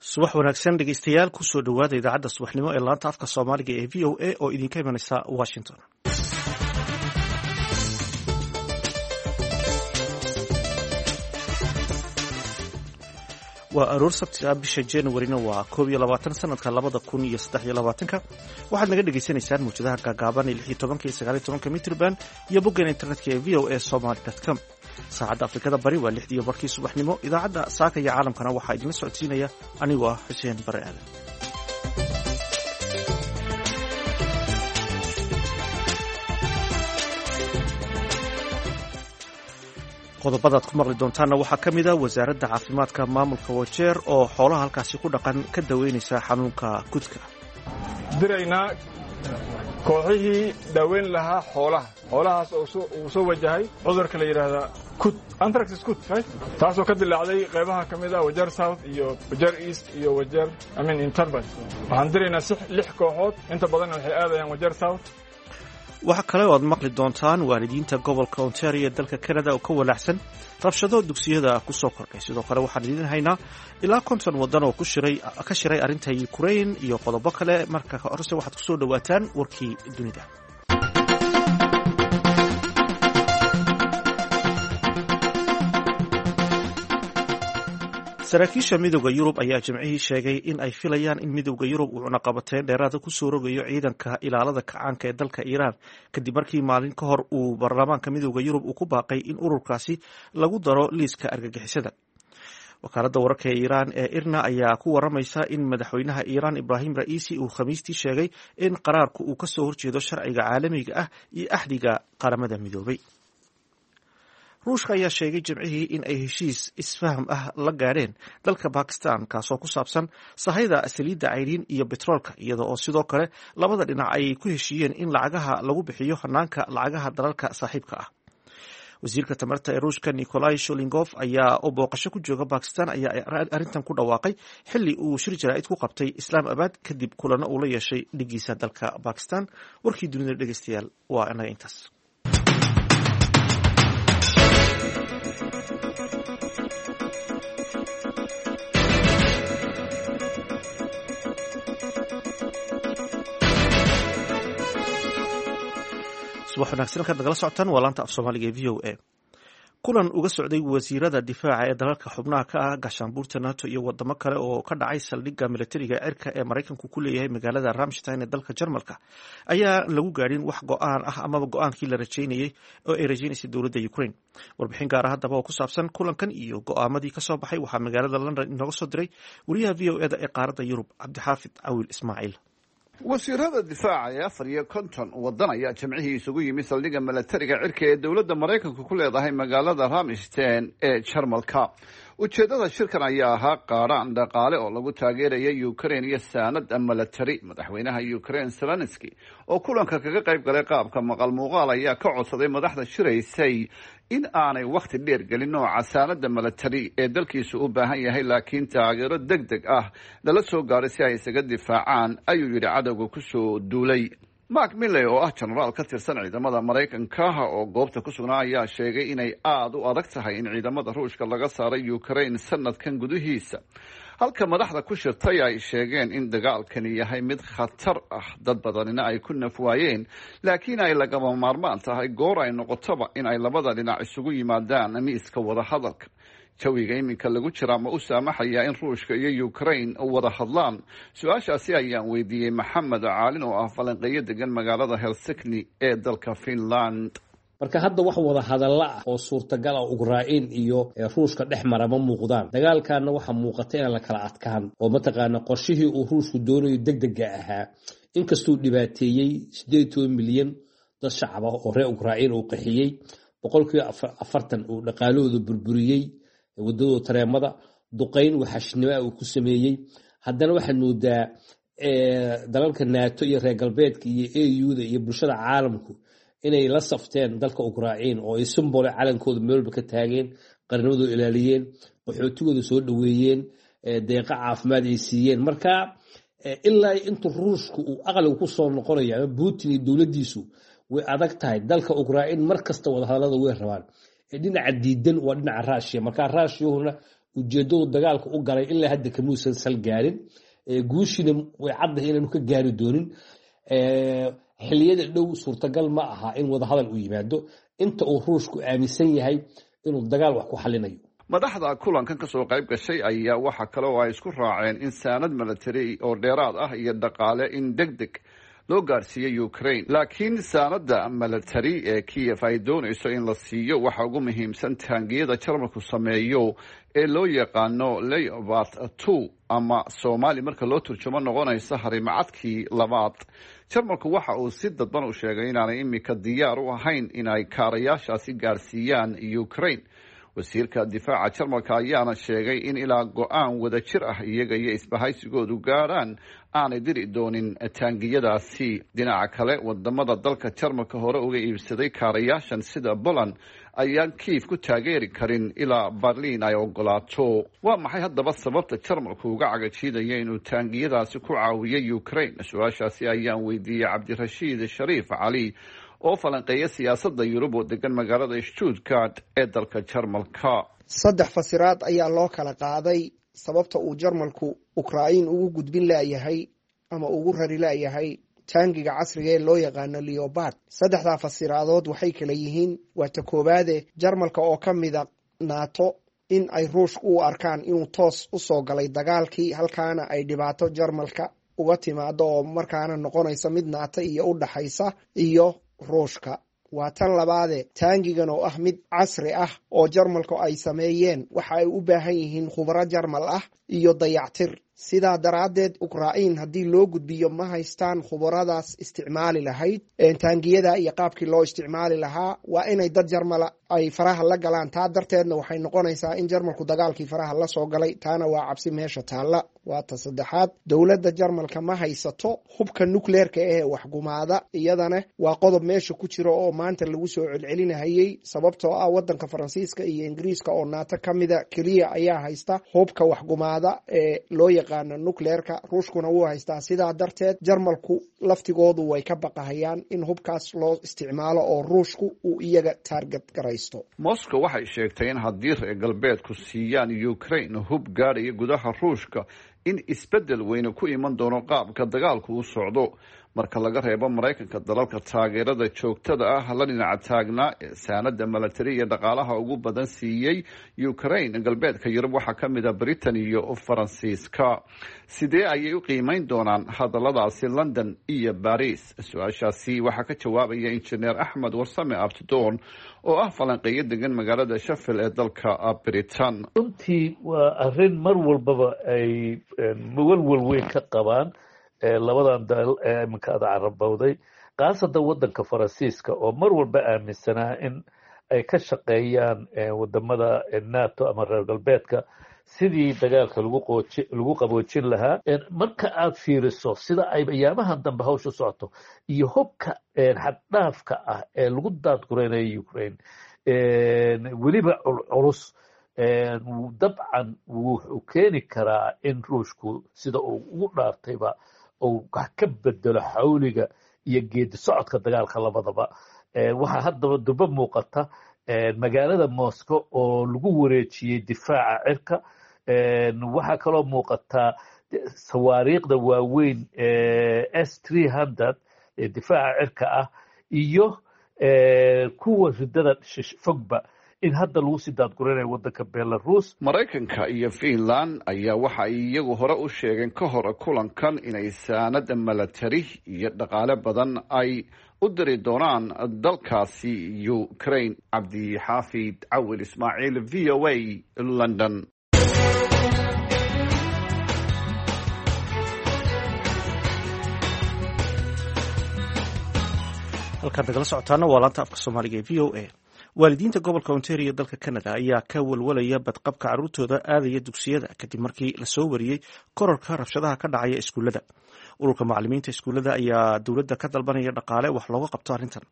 Subax wanaagsan dhegeystayaal, kusoo dhowaada idaacadda subaxnimo ee laanta afka Soomaaliga ee VOA oo idinka imanaysa Washington. Waa aroor Sabti ah, bisha Januarina waa 21 sanadka 2023-ka. Waxaad naga dhegaysanaysaan mawjadaha gaagaaban ee 16-ka iyo 19-ka mitrban iyo boggeena internetka ee voasomaly.com. Saacadda Afrikada Bari waa 6:30 subaxnimo. Idaacadda saaka iyo caalamkana waxaa idinla socodsiinaya anigoo ah Xuseen Bare Aadan. Qodobadaad ku maqli doontaanna waxaa ka mid a wasaaradda caafimaadka maamulka Wajeer oo xoolaha halkaasi ku dhaqan ka daweynaysa xanuunka kudka. Diraynaa kooxihii daaweyn lahaa xoolaha, xoolahaas oo uu soo wajahay cudurka la yidhaahdaa kud, anthrax kud, taasoo ka dilaacday qaybaha ka mid ah Wajeer South iyo Wajeer East iyo Wajeer amin Interbus. Waxaan diraynaa lix kooxood, inta badanna waxay aadayaan Wajeer South. Waxaa kale oo aad maqli doontaan waalidiinta gobolka Ontario ee dalka Canada oo ka walaacsan rabshado dugsiyada ku soo kordhay. Sidoo kale waxaan idiin haynaa ilaa 50 waddan oo ka shiray arrinta Ukraine iyo qodobo kale. Marka horese waxaad kusoo dhowaataan warkii dunida. Saraakiisha Midowda Yurub ayaa Jimcihii sheegay in ay filayaan in Midowda Yurub uu cunaqabateyn dheeraada kusoo rogayo ciidanka ilaalada kacaanka ee dalka Iiraan, kadib markii maalin ka hor uu baarlamaanka Midowda Yurub uu ku baaqay in ururkaasi lagu daro liiska argagixisada. Wakaaladda wararka ee Iiraan ee IRNA ayaa ku waramaysa in madaxweynaha Iiraan Ibrahim Ra'iisi uu Khamiistii sheegay in qaraarku uu kasoo horjeedo sharciga caalamiga ah iyo axdiga Qaramada Midoobay. Ruushka ayaa sheegay Jimcihii in ay heshiis isfaham ah la gaadheen dalka Bakistan, kaasoo ku saabsan sahayda saliidda cayriin iyo betroolka, iyada oo sidoo kale labada dhinac ay ku heshiiyeen in lacagaha lagu bixiyo hanaanka lacagaha dalalka saaxiibka ah. Wasiirka tamarta ee Ruushka Nikolai Sholingof ayaa oo booqasho ku jooga Bakistan ayaa arrintan ku dhawaaqay xilli uu shir jaraa'id ku qabtay Islaam Abad, kadib kulano uu la yeeshay dhigiisa dalka Bakistan. Warkii dunida, dhegeystayaal, waa inaga intaas. Subax wanaagsan halkaad nagala socotaan waa laanta af Soomaaliga ee VOA. Kulan uga socday wasiirada difaaca ee dalalka xubnaha ka ah gaashaanbuurta NATO iyo wadamo kale oo ka dhacay saldhigga militariga cirka ee Maraykanku ku leeyahay magaalada Ramstein ee dalka Jarmalka ayaa lagu gaadhin wax go-aan ah amaba go-aankii la rajaynayay oo ay rajaynaysay dowladda Ukraine. Warbixin gaara haddaba oo ku saabsan kulankan iyo go-aamadii kasoo baxay waxaa magaalada London inooga soo diray wariyaha VOA da ee qaaradda Yurub, Cabdixaafid Cawil Ismaaciil. Wasiirada difaaca ee 54 waddan ayaa Jimcihii isugu yimi saldhigga milatariga cirka ee dowladda Maraykanka ku leedahay magaalada Ramstein ee Jarmalka. Ujeeddada shirkan ayaa ahaa qaadhaan dhaqaale oo lagu taageeraya Ukraine iyo saanad milatari. Madaxweynaha Ukraine Zelenski oo kulanka kaga qayb galay qaabka maqal muuqaal ayaa ka codsaday madaxda shiraysay in aanay wakhti dheer gelin nooca saanada milatari ee dalkiisu u baahan yahay, laakiin taageero deg deg ah lala soo gaaray si ay isaga difaacaan, ayuu yidhi, cadowga kusoo duulay. Mark Milley oo ah jenaraal ka tirsan ciidamada Maraykanka oo goobta ku sugnaa ayaa sheegay inay aada u adag tahay in ciidamada Ruushka laga saaray Ukraine sanadkan gudihiisa, halka madaxda ku shirtay ay sheegeen in dagaalkani yahay mid khatar ah, dad badanina ay ku nafwaayeen, laakiin ay lagama maarmaan tahay goor ay noqotoba in ay labada dhinac isugu yimaadaan miiska wadahadalka. Jawiga iminka lagu jiraa ma u saamaxayaa in Ruushka iyo Ukraine wada hadlaan? Su-aashaasi ayaan weydiiyey Maxamed Caalin oo ah falanqeeyo degan magaalada Helsikni ee dalka Finland. Marka hadda wax wada hadalla ah oo suurtagal ah Ukrain iyo Ruushka dhex mara ma muuqdaan. Dagaalkaana waxaa muuqata inaan la kala adkaan oo mataqaana qorshihii uu Ruushku doonayo degdega ahaa, inkastuu dhibaateeyey 18 milyan dad shacab ah oo reer Ukrain uu qaxiyey, 40% uu dhaqaalahooda burburiyey, wadadooda tareemada duqayn waxashnimoa uu ku sameeyey, haddana waxaad moodaa dalalka NATO iyo reer galbeedka iyo AU-da iyo bulshada caalamku inay la safteen dalka Ukrain oo ay simbole calankooda meelba ka taageen, qarnimadooda ilaaliyeen, qaxootigooda soo dhoweeyeen, deeqa caafimaad ay siiyeen. Marka ilaa intuu Ruushku uu aqliga ku soo noqonayo ama Putin iyo dowladdiisu, way adag tahay. Dalka Ukrain mar kasta wadahadalada way rabaan, dhinaca diidan waa dhinaca Ruushiya. Marka Ruushiyuhuna Ujeeddadu dagaalka u galay ilaa hadda kamuusan sal gaarin, guushiina way caddahay inaanu ka gaari doonin. Xilliyada dhow suurtagal ma aha in wadahadal uu yimaado inta uu Ruushku aaminsan yahay inuu dagaal wax ku xalinayo. Madaxda kulankan kasoo qayb gashay ayaa waxa kale oo ay isku raaceen in saanad milatary oo dheeraad ah iyo dhaqaale in deg deg loo gaarsiiyey Ukraine. Laakiin saanada milatary ee Kiev ay doonayso in la siiyo waxa ugu muhiimsan taangiyada Jarmalku sameeyo ee loo yaqaano Leopard 2, ama Soomaali marka loo turjumo noqonaysa harimacadkii labaad. Jarmalku waxa uu si dadban u sheegay inaanay imika diyaar u ahayn inay kaarayaashaasi gaarsiiyaan Ukraine. Wasiirka difaaca Jarmalka ayaana sheegay in ilaa go-aan wadajir ah iyaga iyo isbahaysigoodu gaadhaan aanay diri doonin taangiyadaasi. Dhinaca kale, wadamada dalka Jarmalka hore uga iibsaday kaarayaashan sida Poland ayaan Kiif ku taageeri karin ilaa Berliin ay ogolaato. Waa maxay haddaba sababta Jarmalku uga cagajiidaya inuu taangiyadaasi ku caawiyo Ukraine? Su-aashaasi ayaan weydiiyey Cabdirashiid Shariif Cali oo falanqeeya siyaasadda Yurub oo degan magaalada Stuttgart ee dalka Jarmalka. Saddex fasiraad ayaa loo kala qaaday sababta uu Jarmalku Ukrain ugu gudbin laayahay ama ugu rari laayahay taangiga casriga ee loo yaqaano Leopard. Saddexdaa fasiraadood waxay kala yihiin: waa ta koowaade, Jarmalka oo ka mida NATO in ay Ruushka u arkaan inuu toos usoo galay dagaalkii, halkaana ay dhibaato Jarmalka uga timaado oo markaana noqonaysa mid NATO iyo u dhaxaysa iyo Ruushka. Waa tan labaade, taangigan oo ah mid casri ah oo Jarmalku ay sameeyeen waxa ay u baahan yihiin khubaro Jarmal ah iyo dayactir. Sidaa daraaddeed, Ukrain haddii loo gudbiyo ma haystaan khubaradaas isticmaali lahayd taangiyada iyo qaabkii loo isticmaali lahaa. Waa inay dad Jarmala ay faraha la galaan. Taa darteedna waxay noqonaysaa in Jarmalku dagaalkii faraha la soo galay. Taana waa cabsi meesha taalla. Waa ta saddexaad, dowladda Jarmalka ma haysato hubka nukleerka ee waxgumaada. Iyadana waa qodob meesha ku jiro oo maanta lagu soo celcelinahayey, sababtoo ah wadanka Faransiiska iyo Ingiriiska oo NATO ka mida keliya ayaa haysta hubka waxgumaada ee loo yaqaano nukleerka. Ruushkuna wuu haystaa. Sidaa darteed, Jarmalku laftigoodu way ka baqahayaan in hubkaas loo isticmaalo oo Ruushku uu iyaga taarget garaysto. Moscow waxay sheegtay in haddii reer galbeedku siiyaan Ukraine hub gaadhaya gudaha Ruushka, in isbeddel weyne ku iman doono qaabka dagaalku u socdo. Marka laga reebo Maraykanka, dalalka taageerada joogtada ah la dhinaca taagnaa ee saanada milatari iyo dhaqaalaha ugu badan siiyey Ukraine galbeedka Yurub waxaa ka mid a Britain iyo Faransiiska. Sidee ayay u qiimeyn doonaan hadalladaasi London iyo Baris? Su-aashaasi waxaa ka jawaabaya Injineer Axmed Warsame Abtidoon oo ah falanqeeyo degan magaalada Sheffield ee dalka Britain. Runtii waa arrin mar walbaba ay walwal weyn ka qabaan labadan dal ee iminka ada carabowday, khaasatan waddanka Faransiiska oo mar walba aaminsanaa in ay ka shaqeeyaan wadamada NATO ama reer galbeedka sidii dagaalka lagu qaboojin lahaa. Marka aad fiiriso sida ay ayaamahan dambe hawsha socoto iyo hubka xaddhaafka ah ee lagu daadguraynayo Ukraine, weliba culculus, dabcan wuxuu keeni karaa in Ruushku sida uu ugu dhaartayba uu wax ka bedelo xawliga iyo geedi socodka dagaalka labadaba. Waxaa haddaba durba muuqata magaalada Moscow oo lagu wareejiyey difaaca cirka. Waxaa kaloo muuqataa sawaariikhda waaweyn S-300 ee difaaca cirka ah iyo kuwa ridada fogba in hadda lagu sii daadguranayo waddanka Belarus. Maraykanka iyo Finland ayaa waxa ay iyagu hore u sheegeen ka hor kulankan inay saanada milatari iyo dhaqaale badan ay u diri doonaan dalkaasi Ukraine. Cabdixaafid Cawil Ismaaciil, VOA, London. Halkaad nagala socotaana waa laanta afka Soomaaliga ee VOA. Waalidiinta gobolka Ontario dalka Canada ayaa ka walwalaya badqabka carruurtooda aadaya dugsiyada kadib markii lasoo wariyey kororka rabshadaha ka dhacaya iskuullada. Ururka macalimiinta iskuullada ayaa dowladda ka dalbanaya dhaqaale wax looga qabto arrintan.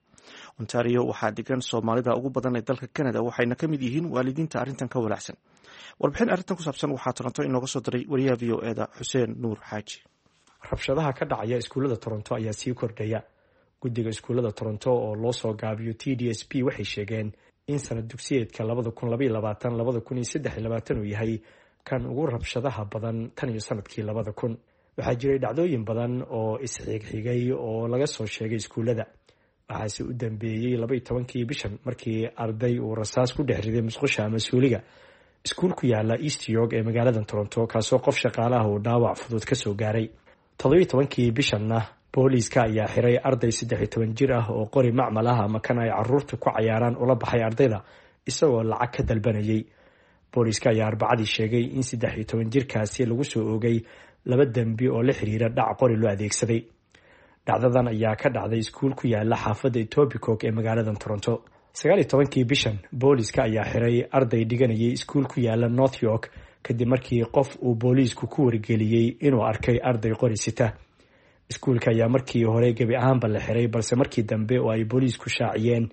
Ontario waxaa degan Soomaalida ugu badan ee dalka Canada, waxayna ka mid yihiin waalidiinta arrintan ka walaacsan. Warbixin arrintan ku saabsan waxaa Toronto inooga soo diray wariyaha VOA-da Xuseen Nuur Xaaji. Rabshadaha ka dhacaya iskuullada Toronto ayaa sii kordhaya. Guddiga iskuullada Toronto oo loo soo gaabiyo TDSB waxay sheegeen in sanad dugsiyeedka 2022/2023 uu yahay kan ugu rabshadaha badan tan iyo sanadkii 2000. Waxaa jiray dhacdooyin badan oo isxigxigay oo laga soo sheegay iskuullada, waxaase u dambeeyey 12-kii bishan markii arday uu rasaas ku dhex riday musqusha ama suuliga iskuul ku yaala East York ee magaalada Toronto, kaasoo qof shaqaalaha uu dhaawac fudud kasoo gaaray. 17-kii bishanna booliiska ayaa xiray arday 13 jir ah oo qori macmal ah ama kan ay caruurta ku cayaaraan ula baxay ardayda isagoo lacag ka dalbanayay. Booliiska ayaa Arbacadii sheegay in 13 jirkaasi lagu soo oogay 2 dembi oo la xiriira dhac qori loo adeegsaday. Dhacdadan ayaa ka dhacday iskuul ku yaala xaafadda Etobicoke ee magaalada Toronto. 19-kii bishan booliiska ayaa xiray arday dhiganayay iskuul ku yaala North York kadib markii qof uu booliisku ku wargeliyey inuu arkay arday qori sita. Iskuulka ayaa markii hore gebi ahaanba la xiray, balse markii dambe oo ay booliisku shaaciyeen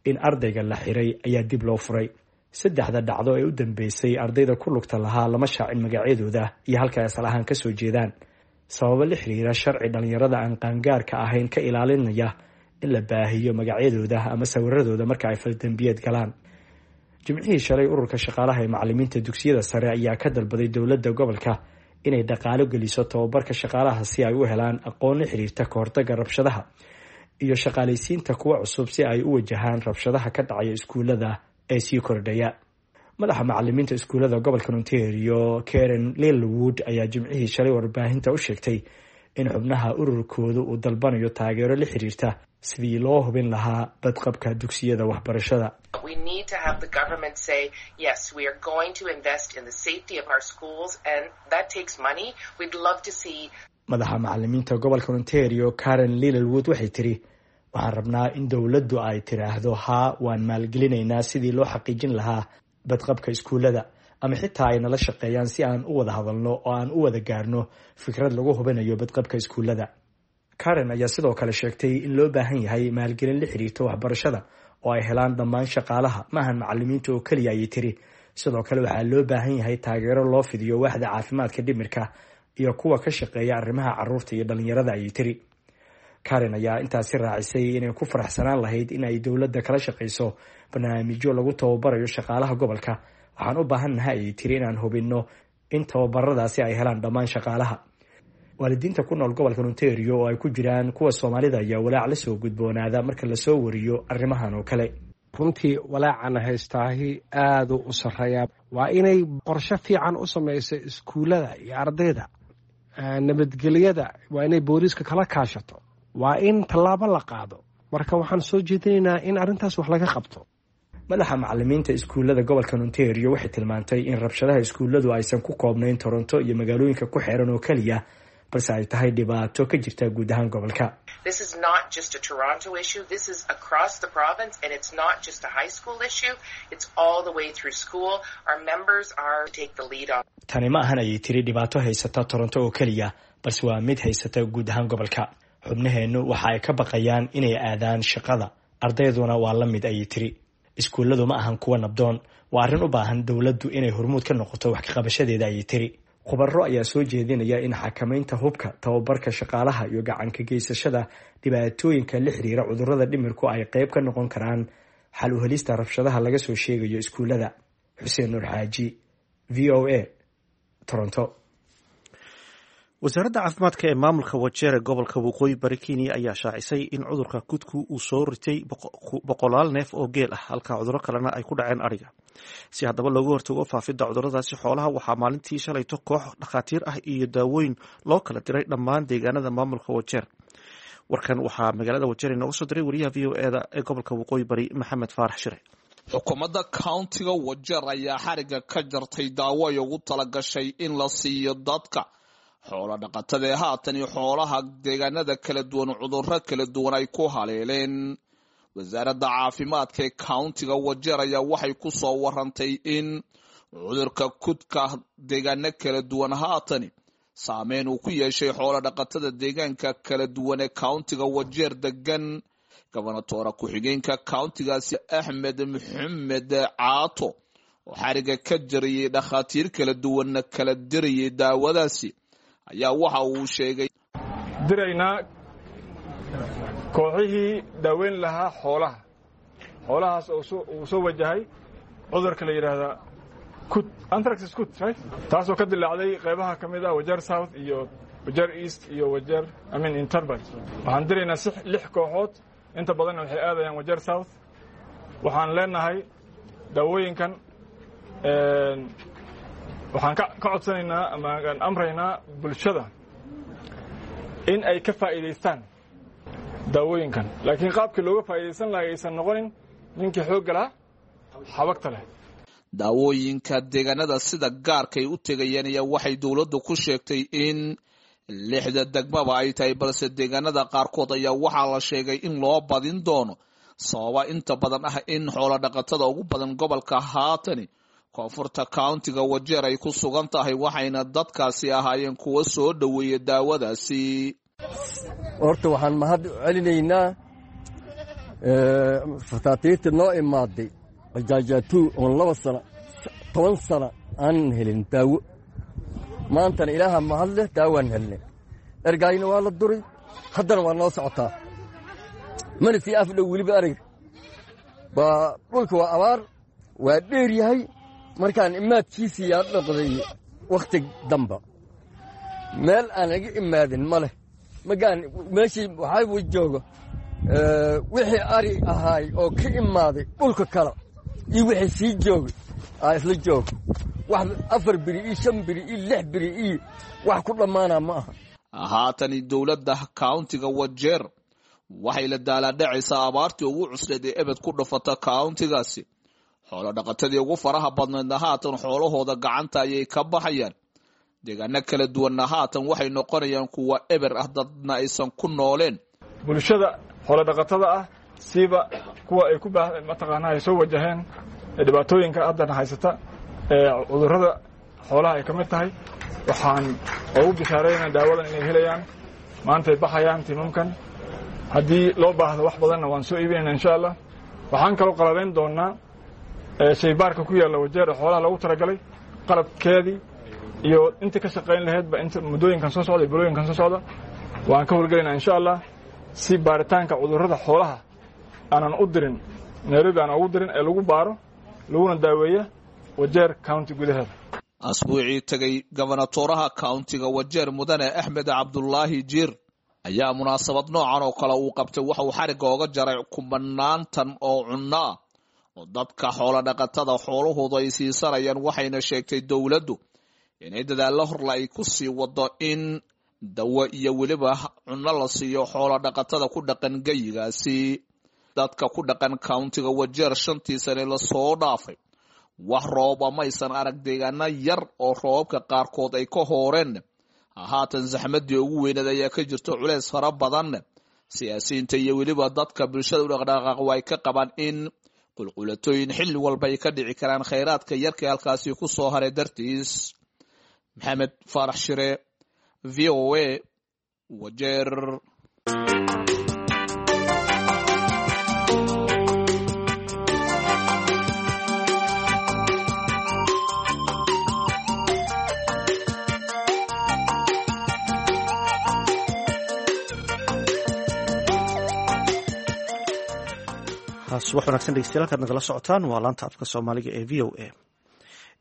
in ardayga la xiray ayaa dib loo furay. 3da dhacdo ee u dambeysay ardayda ku lugta lahaa lama shaacin magacyadooda iyo halka ay asal ahaan kasoo jeedaan, sababo la xiriira sharci dhalinyarada aan qaangaarka ahayn ka ilaalinaya in la baahiyo magacyadooda ama sawiradooda marka ay faldambiyeed galaan. Jimcihii shalay ururka shaqaalaha ee macalimiinta dugsiyada sare ayaa ka dalbaday dowladda gobolka inay dhaqaalo geliso tababarka shaqaalaha si ay u helaan aqoon la xiriirta kahortaga rabshadaha iyo shaqaalaysiinta kuwa cusub si ay u wajahaan rabshadaha ka dhacaya iskuullada ee sii kordhaya. Madaxa macalimiinta iskuullada gobolka Ontario, Karen Lilwood, ayaa jimcihii shalay warbaahinta u sheegtay in xubnaha ururkoodu uu dalbanayo taageero la xiriirta sidii loo hubin lahaa badqabka dugsiyada waxbarashada. Madaxa macalimiinta gobolka Ontario, Karen Lilwood, waxay tiri: waxaan rabnaa in dowladdu ay tiraahdo haa, waan maalgelinaynaa sidii loo xaqiijin lahaa badqabka iskuullada, ama xitaa ay nala shaqeeyaan si aan u wada hadalno oo aan u wada gaarno fikrad lagu hubinayo badqabka iskuullada. Karen ayaa sidoo kale sheegtay in loo baahan yahay maalgelin la xiriirta waxbarashada oo ay helaan dhammaan shaqaalaha, maahan macalimiinta oo keliya, ayay tiri. Sidoo kale waxaa loo baahan yahay taageero loo fidiyo waaxda caafimaadka dhimirka iyo kuwa ka shaqeeya arrimaha caruurta iyo dhalinyarada, ayay tiri. Karen ayaa intaasi raacisay inay ku faraxsanaan lahayd in ay dowladda kala shaqeyso barnaamijyo lagu tababarayo shaqaalaha gobolka. Waxaan u baahannahay, ayay tiri, inaan hubinno in tababaradaasi ay helaan dhammaan shaqaalaha. Waalidiinta ku nool gobolka Ontario oo ay ku jiraan kuwa Soomaalida ayaa walaac la soo gudboonaada marka lasoo wariyo arrimahan oo kale. Runtii walaacana haystaahi aaduu u sarreeyaa. Waa inay qorshe fiican u samayso iskuullada iyo ardayda. Nabadgelyada waa inay booliiska kala kaashato. Waa in tallaabo la qaado. Marka waxaan soo jeedinaynaa in arrintaas wax laga qabto. Madaxa macalimiinta iskuullada gobolka Ontario waxay tilmaantay in rabshadaha iskuulladu aysan ku koobnayn Toronto iyo magaalooyinka ku xeeran oo keliya, balse ay tahay dhibaato ka jirta guud ahaan gobolka. Tani ma ahan, ayay tiri, dhibaato haysata Toronto oo keliya, balse waa mid haysata guud ahaan gobolka. Xubnaheennu waxa ay ka baqayaan inay aadaan shaqada, ardayduna waa la mid, ayay tiri. Iskuulladu ma ahan kuwa nabdoon, waa arrin u baahan dowladdu inay hormuud ka noqoto wax kaqabashadeeda, ayay tiri. Khubaro ayaa soo jeedinaya in xakamaynta hubka, tababarka shaqaalaha iyo gacanka geysashada dhibaatooyinka la xiriira cudurrada dhimirku ay qayb ka noqon karaan xal u helista rabshadaha laga soo sheegayo iskuullada. Xuseen Nuur Xaaji, VOA, Toronto. Wasaaradda caafimaadka ee maamulka Wajeer gobolka Waqooyi Bari Kenya ayaa shaacisay in cudurka kudku uu soo ritay boqolaal neef oo geel ah, halka cudurro kalena ay ku dhaceen adhiga. Si haddaba looga hortago faafidda cudurradaasi xoolaha, waxaa maalintii shalayto koox dhakhaatiir ah iyo daawooyin loo kala diray dhammaan deegaanada maamulka Wajeer. Warkan waxaa magaalada Wajeer inooga soo diray wariyaha VOA-da ee gobolka Waqooyi Bari, Maxamed Faarax Shire. Xukuumadda countiga Wajeer ayaa xariga ka jartay daawo ay ugu talagashay in la siiyo dadka xoola dhaqatada ee haatan iyo xoolaha deegaanada kala duwan cudurro kala duwan ay ku haleeleen. Wasaaradda caafimaadka ee countiga Wajeer ayaa waxay ku soo warantay in cudurka kudka deegaano kala duwan haatani saameyn uu ku yeeshay xoola dhaqatada deegaanka kala duwan ee countiga Wajeer degan. Gobonatoora ku-xigeenka countigaasi Axmed Maxamed Caato oo xariga ka jarayay dhakhaatiir kala duwanna kala dirayay daawadaasi ayaa waxa uu sheegay: diraynaa kooxihii daaweyn lahaa xoolaha, Xoolahaas oo uu soo wajahay cudurka la yidhaahdaa kud, anthrax kud, right, taasoo ka dilaacday qaybaha ka mid ah Wajeer South iyo Wajeer East iyo Wajeer, I mean, Interbad. Waxaan diraynaa lix kooxood, inta badanna waxay aadayaan Wajeer South. Waxaan leenahay daawooyinkan waxaan ka codsanaynaa ama aan amraynaa bulshada in ay ka faa'iidaystaan daawooyinkan, laakiin qaabkii looga faa'iidaysan lahay aysan noqonin ninkii xoogga lahaa xabagta leh. Daawooyinka deegaanada sida gaarkay u tegayeen ayaa waxay dowladdu ku sheegtay in lixda degmaba ay tahay, balse deegaanada qaarkood ayaa waxaa la sheegay in loo badin doono, sababa inta badan ah in xoolo dhaqatada ugu badan gobolka haatani koonfurta countiga Wajeer ay ku sugan tahay, waxayna dadkaasi ahaayeen kuwo soo dhoweeya daawadaasi. Horta waxaan mahad celinaynaa fataatiirta noo imaaday qajaajatuu oon 2 sano 10 sano aanan helin daawo. Maantana Ilaaha mahad leh, daawaan helnay. Ergaayna waa la duray, haddana waa noo socotaa, mana sii afdhow weliba ariga baa dhulka waa abaar, waa dheer yahay. Markaan imaadkiisii yaa noqday wakhti damba, meel aan iga imaadin ma leh. Magaan meeshii waxaa joogo wixii ari ahaay oo ka imaaday dhulka kale iyo wixii sii joogay aa isla jooga. Wax 4 beri iyo 5 beri iyo 6 beri iyo wax ku dhammaanaa ma aha. Haatani dowladda countiga Wajeer waxay la daalaadhacaysaa abaartii ugu cusleed ee ebed ku dhufata countigaasi. Xoolo dhaqatadii ugu faraha badnaydna haatan xoolahooda gacanta ayay ka baxayaan. Deegaano kala duwanna haatan waxay noqonayaan kuwa eber ah, dadna aysan ku nooleen. Bulshada xoolo dhaqatada ah, siiba kuwa ay ku mataqaanaa ay soo wajaheen dhibaatooyinka haddana haysata ee cudurrada xoolaha ay ka mid tahay, waxaan ugu bishaaraynaa daawadan inay helayaan. Maantay baxayaan tiimamkan, haddii loo baahdo wax badanna waan soo iibinayna insha Allah. Waxaan kaloo qalabayn doonaa shaybaarka ku yaalla Wajeer ee xoolaha loogu talagalay, qalabkeedii iyo intii ka shaqayn lahaydba inta muddooyinkan soo socda iyo bilooyinkan soo socda waan ka howlgelaynaa insha Allah, si baaritaanka cudurrada xoolaha aanan u dirin Nairobi, aanan ugu dirin ee lagu baaro laguna daaweeya Wajeer County gudaheeda. Asbuucii tegay gobonatoraha countiga Wajeer Mudane Axmed Cabdulaahi Jiir ayaa munaasabad noocan oo kale uu qabtay waxa uu xarigga oga jaray kumanaantan oo cunno ah oo dadka xoolo dhaqatada xoolahoodu ay siisanayaan, waxayna sheegtay dowladdu inay dadaallo horla ay ku sii wado in dawo iyo weliba cunno la siiyo xoolo dhaqatada ku dhaqan geyigaasi. Dadka ku dhaqan countiga Wajeer 5tii sane lasoo dhaafay wax rooba maysan arag, deegaano yar oo roobabka qaarkood ay ka hooreen. Haatan saxmadii ugu weyneed ayaa ka jirto culeys fara badan. Siyaasiyiinta iyo weliba dadka bulshada u dhaqdhaqaaq way ka qabaan in qulqulatooyin xilli walba ay ka dhici karaan khayraadka yarka halkaasi ku soo haray dartiis. Maxamed Faarax Shire, V O A, Wajeer. Subax wanagsan dhegeystayaal, halkaad nagala socotaan waa laanta afka Soomaaliga ee V O A.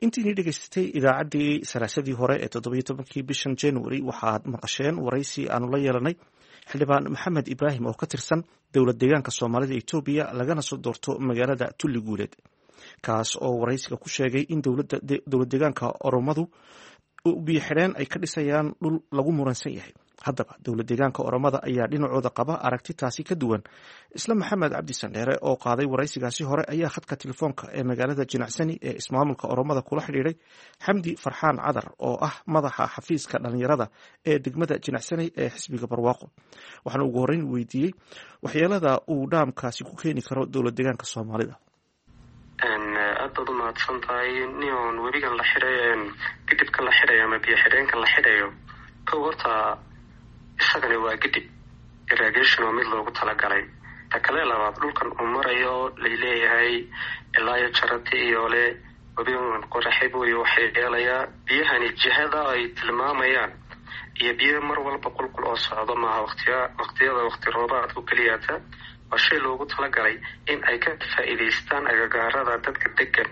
Intiinii dhegeysatay idaacaddii salaasadii hore ee 17-kii bishan January waxaad maqasheen waraysi aanu la yeelanay xildhibaan Maxamed Ibraahim oo ka tirsan dowlad deegaanka Soomaalida Etoobiya, lagana soo doorto magaalada Tulli Guuleed, kaas oo waraysiga ku sheegay in dowlad deegaanka Oromadu biyo xidheen ay ka dhisayaan dhul lagu muransan yahay. Haddaba dowlad deegaanka Oromada ayaa dhinacooda qaba aragti taasi ka duwan. Isla Maxamed Cabdi Sandheere oo qaaday waraysigaasi hore ayaa khadka telefoonka ee magaalada Jinacsani ee ismaamulka Oromada kula xidhiidhay Xamdi Farxaan Cadar oo ah madaxa xafiiska dhalinyarada ee degmada Jinacsani ee xisbiga Barwaaqo. Waxaana ugu horreyn weydiiyey waxyeelada uu dhaamkaasi ku keeni karo dowlad deegaanka Soomaalida. Aad baad umahadsan tahay. Nion webigan la xidhay, gidibkan la xidhayo ama biyo xidheenkan la xidhayo, kow horta isagani waa gidib irrigation oo mid loogu talagalay. Ta kale labaad, dhulkan uu marayo laleeyahay ilaa iyo jarati iyo le webigan qoraxibuyo waxay yeelayaa biyahani jihada ay tilmaamayaan iyo biyo mar walba qulqul oo socdo maaha. Waqtiya waqtiyada waqti roobaadku keliyaata Waa shay loogu talagalay in ay ka faa'iidaystaan agagaarada dadka degan,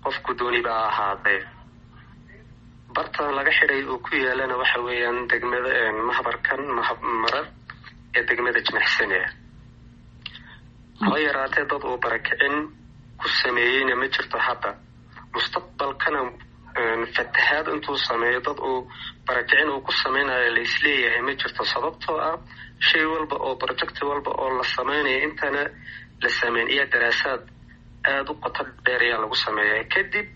qofku dooniba ha ahaadee. Barta laga xidhay uu ku yaalana waxa weeyaan degmada mahbarkan Marar ee degmada Jimixsane. Haba yaraatee dad uu barakicin ku sameeyeyna ma jirto hadda. Mustaqbalkana fatahaad intuu sameeyo dad uu barakicin uu ku sameynayo laisleeyahay ma jirto, sababtoo ah shay walba oo project walba oo la sameynayo intana la sameyn iyo daraasaad aada u qoto dheer ayaa lagu sameeya. Kadib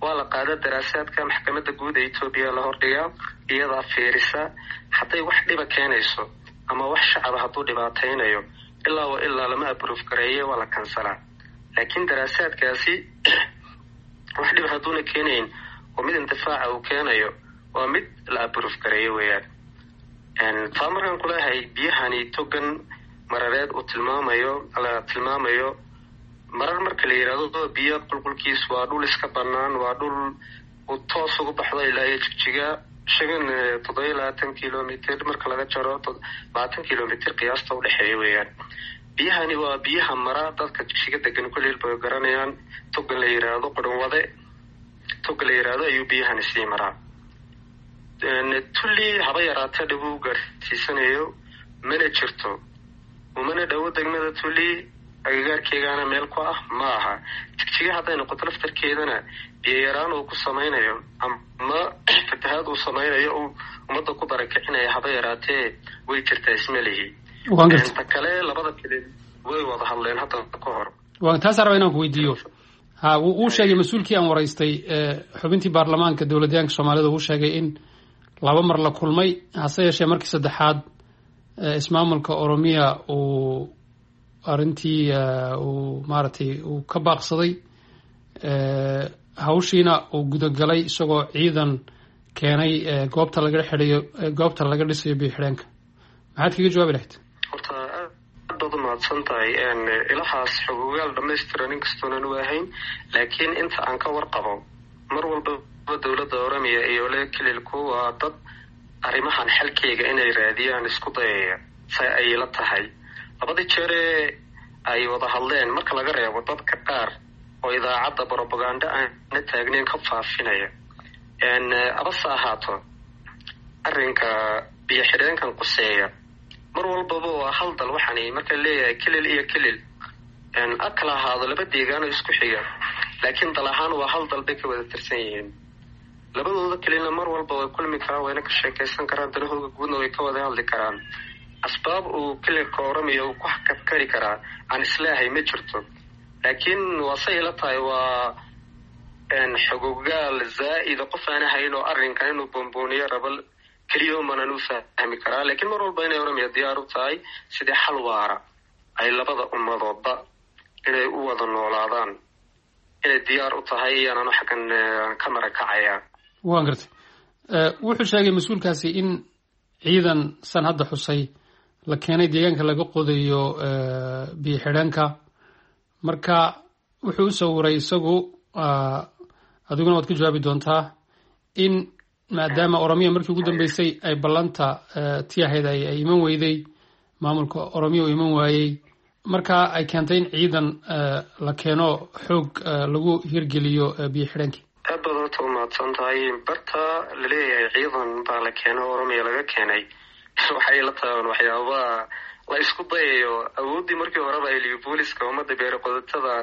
waa la qaada daraasaadka, maxkamadda guud ee Etoobiya la hordhigaa, iyadaa fiirisa hadday wax dhiba keenayso ama wax shacaba hadduu dhibaataynayo, ilaa wa ilaa lama approve gareeye, waa la kansalaa. Laakiin daraasaadkaasi wax dhib hadduuna keenayn oo mid intifaaca uu keenayo, waa mid la approve gareeye weeyaan. Taa markaan kuleehay, biyahani togan Marareed uu tilmaamayo, la tilmaamayo Marar marka la yidhaahdo, biyo qulqulkiis waa dhul iska banaan, waa dhul uu toos ugu baxdo ilaa iyo Jigjiga, 27 kilomitr marka laga jaro 20 kilomitr qiyaasta udhexeeya weeyaan. Biyahani waa biyaha mara, dadka Jigjiga degan kulil bay garanayaan, togan la yidhaahdo Qurunwade, togan la yidhaahdo ayuu biyahani sii maraa. Tulli haba yaraatee dhib uu gaarsiisanayo mana jirto, umana dhowo degmada Tulli, agagaarkeegaana meel ku ah ma aha. Jigjiga hadday noqoto laftarkeedana, biyo yaraan uu ku samaynayo ama fatahaad uu samaynayo uu ummadda ku barakicinaya haba yaraatee way jirtaa isma lihi. Ta kale, labada kale way wada hadleen hadda ka hor. Waa taasaan raba inaan ku weydiiyo. Ha, wuu sheegay mas-uulkii aan waraystay, xubintii baarlamaanka dowladyaanka Soomaalida, uu sheegay in laba mar la kulmay, hase yeeshee markii saddexaad ismaamulka Oromiya uu arrintii uu maaragtay uu ka baaqsaday hawshiina uu gudagalay, isagoo ciidan keenay goobta laga xidhayo, goobta laga dhisayo biyo xidheenka. Maxaad kaga jawaabi lahayd? Horta aad baad umahadsan tahay. Ilahaas xogogaal dhamaystiran inkastoonan u ahayn, laakiin inta aan ka warqabo, mar walbaba dowladda Oromiya iyo le kililku waa dad arrimahan xalkeyga inay raadiyaan isku dayaya. Say ay la tahay, labadii jeeree ay wada hadleen, marka laga reebo dadka qaar oo idaacadda brobaganda aana taagneyn ka faafinaya, abase ahaato arrinka biyo xidheenkan quseeya, mar walbaba waa hal dal. Waxaani marka leeyahay kilil iyo kilil a kala ahaado laba deegaano isku xiga, laakiin dal ahaan waa hal dal bay ka wada tirsan yihiin. Labadooda kelina mar walba way kulmi karaan, wayna ka sheekaysan karaan, danahooga guudna way ka wada hadli karaan. Asbaab uu kililka Oromiya uu ku kabkari karaa aan isleehay ma jirto, laakiin waa say ila tahay, waa xogogaal zaa'ida qof aan ahayn oo arrinkan inuu boonbooniyo rabo keliya umanan u fahmi karaa. Laakiin mar walba inay Oromiya diyaar u tahay sidii xal waara ay labada ummadoodba inay u wada noolaadaan inay diyaar u tahay iyaananu xaggan ka marakacaya. Waan gartay. Wuxuu sheegay mas-uulkaasi in ciidan san hadda xusay la keenay deegaanka laga qodayo biyo xidheenka. Marka wuxuu u sawiray isagu, adiguna waad ka jawaabi doontaa, in maadaama Oromiya markii ugu dambeysay ay ballanta ti ahayd ay iman weyday, maamulka Oromiya uu iman waayey, marka ay keentay in ciidan la keeno, xoog lagu hirgeliyo biyo xidheenkii. Aad baad horta umahadsan tahay. Barta laleeyahay ciidan baa la keeno, Oromiya laga keenay, waxay la taban waxyaabaha la isku dayayo. Awooddii markii horeba ay libooliska ummadda beere qodatada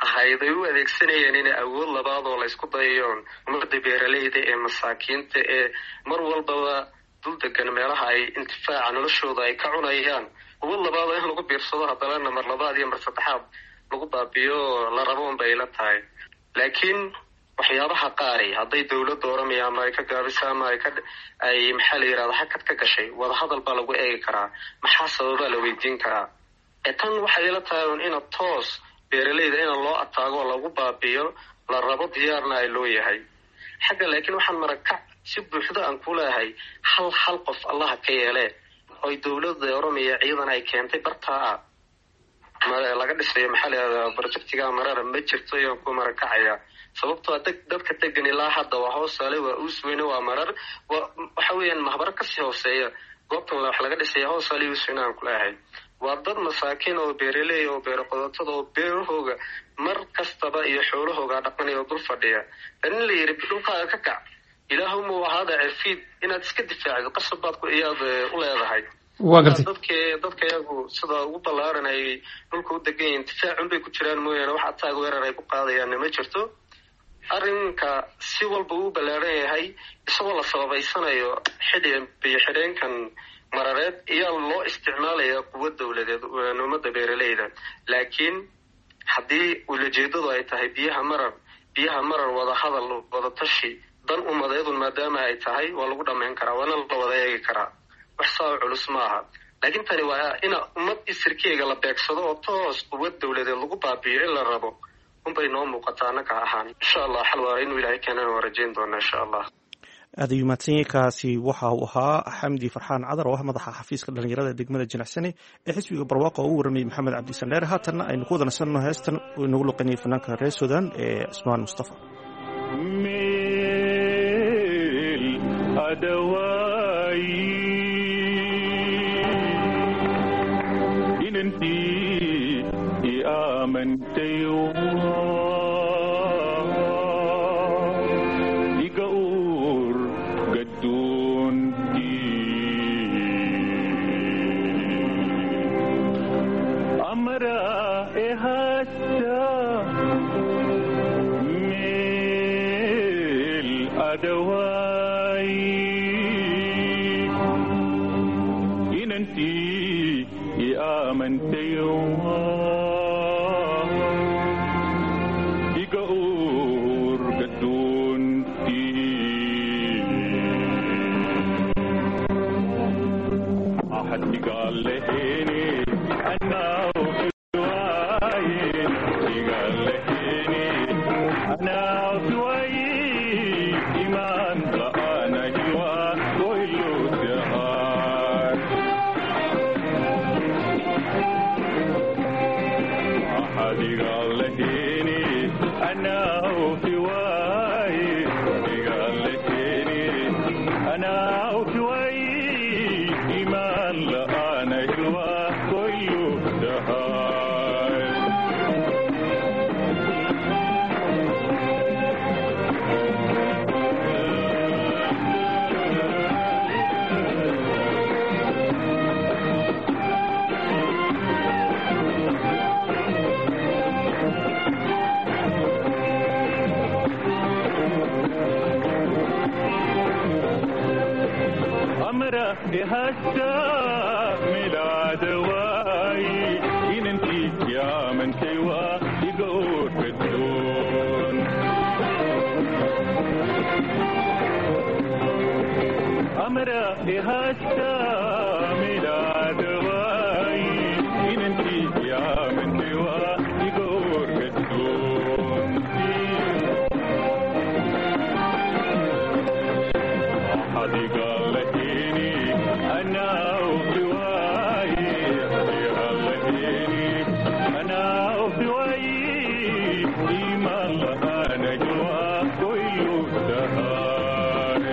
ahayd ay u adeegsanayeen inay awood labaad oo la isku dayayoon ummadda beeraleyda ee masaakiinta ee mar walbaba dul degan meelaha ay intifaaca noloshooda ay ka cunayaan, awood labaad oo in lagu biirsado haddana mar labaad iyo mar saddexaad lagu baabiyo la rabo un bay la tahay. Laakiin waxyaabaha qaari hadday dowladda Oromiya ama ay ka gaabisa ama ay ka ay maxaa la yirahda hakad ka gashay, wadahadal baa lagu eegi karaa, maxaa sababaa la weydiin karaa. Ee tan waxay ila tahay un ina toos beeraleyda ina loo ataago oo lagu baabiyo la rabo, diyaarna ay loo yahay xagga. Laakiin waxaan marakac si buuxda aan ku leehay, hal hal qof Allaha ka yeelee oy dowladda Oromiya ciidan ay keentay bartaa ah laga dhisayo, maxaa la yihahdaa, projectiga Marara ma jirto ayaan ku marakacaya. Sababtoo dadka degan ilaa hadda waa Hoosaale, waa Uusweyne, waa Marar, waxa weeyaan mahbaro kasii hooseeya goobtan wax laga dhisaya. Hoosaale, Uusweyne aan kuleehay. Waa dad masaakiin oo beeraley oo beero qodotada oo beerahooga mar kastaba iyo xoolahooga dhaqanaya oo dul fadhiya. In la yidhi dhulkaaga ka kac, ilaahuma ahaada cirfiid inaad iska difaacdo qasab baad iyaad u leedahay. Waa gartay. Dadka iyagu sida ugu ballaaran ay dhulka u degan yihiin difaacun bay ku jiraan mooyaane wax ataag weerar ay ku qaadayaanna ma jirto. Arrinka si walba uu ballaaran yahay isagoo la sababaysanayo xidhi biyo xidheenkan marareed iyaa loo isticmaalaya quwad dowladeed ummadda beeraleyda. Laakiin haddii ulajeedadu ay tahay biyaha marar, biyaha marar wada hadal, wada tashi, dan ummadeedun maadaama ay tahay, waa lagu dhammayn karaa, waana la wada eegi karaa, wax saa culus ma aha. Laakiin tani waa ina ummad isirkeega la beegsado oo toos quwad dowladeed lagu baabi'iyo in la rabo unbay noo muuqataa annaka ahaan. Insha Allah xal waara inuu Ilaahay keenana waa rajayn doonaa insha Allah. Aad ayuu mahadsan. Kaasi waxa uu ahaa Xamdi Farxaan Cadar oo ah madaxa xafiiska dhalinyarada degmada Jinacsane ee xisbiga Barwaaqo oo u warramayay Maxamed Cabdi Sandheer. Haatanna aynu ku wada nasanno heestan uu inagu luqanayay fanaanka reer Sudan ee Cismaan Mustafa. Meel adawaayi inantii i aamantay iga uur gaddoontii amra ehasta meel adawaayi inantii i aamantay iga uur gaddoontii axad igaalehene anaa waaye igaalehene anaa waaye imaan la'aana hiwa goylo dahar axad igaalehene anaa waaye igaalehene anaa waaye imaan la'aana hiwa goylo dahar. أمره هسه ميلاد واي إن انتي يا من سوى يقول بدون أمره هسه ميلاد واي إن انتي يا من سوى يقول بدون أحد قال لهيني أنا وفواي قال لهيني أنا وفواي إيمان أنا جوا كل دهار.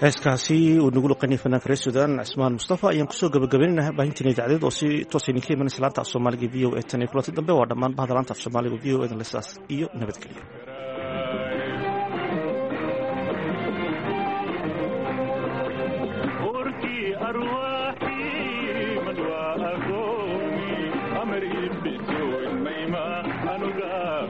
Heeskaasi uu nagu luqanayay fanaanka reer Sudan Cismaan Mustafa ayaan kusoo gabagabaynayna baahintiin idaacadeed oo si toos idinka imanaysa laanta af Soomaaliga VOA. Tan iyo kulanti dambe, waa dhammaan bahda laanta af Soomaaliga VOA dan lesaas iyo nabadgelyo. أركي أرواحي من وأقومي أمري بدون ميما أنقى.